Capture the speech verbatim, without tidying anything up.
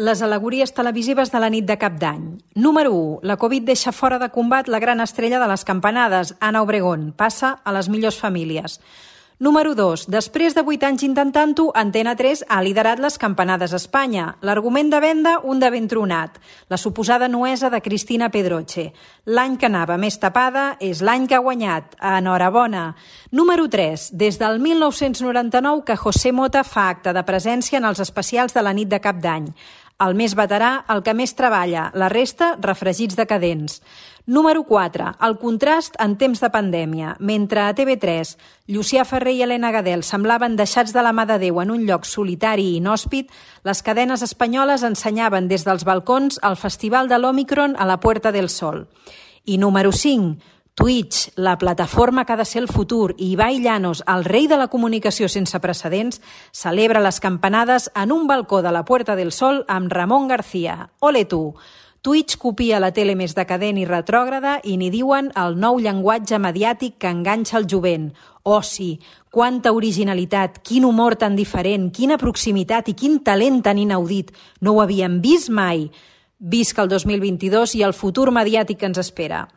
Les al·legories televisives de la nit de Cap d'Any. Número u. La Covid deixa fora de combat la gran estrella de les campanades, Ana Obregón. Passa a les millors famílies. Número dos. Després de vuit anys intentant-ho, Antena tres ha liderat les campanades a Espanya. L'argument de venda, un de ben tronat. La suposada nuesa de Cristina Pedroche. L'any que anava més tapada és l'any que ha guanyat. Enhorabona. Número tres. Des del mil nou-cents noranta-nou que José Mota fa acte de presència en els especials de la nit de Cap d'Any. El més veterà, el que més treballa, la resta, refregits decadents. Número quatre. El contrast en temps de pandèmia. Mentre a T V tres, Llucià Ferrer i Helena Gadel semblaven deixats de la mà de Déu en un lloc solitari i inhòspit, les cadenes espanyoles ensenyaven des dels balcons el Festival de l'Òmicron a la Puerta del Sol. I número cinc. Twitch, la plataforma que ha de ser el futur, i Ibai Llanos, el rei de la comunicació sense precedents, celebra les campanades en un balcó de la Puerta del Sol amb Ramon García. Ole tu! Twitch copia la tele més decadent i retrògrada i n'hi diuen el nou llenguatge mediàtic que enganxa el jovent. Oh sí, quanta originalitat, quin humor tan diferent, quina proximitat i quin talent tan inaudit. No ho havíem vist mai. Visca el dos mil vint-i-dos i el futur mediàtic que ens espera.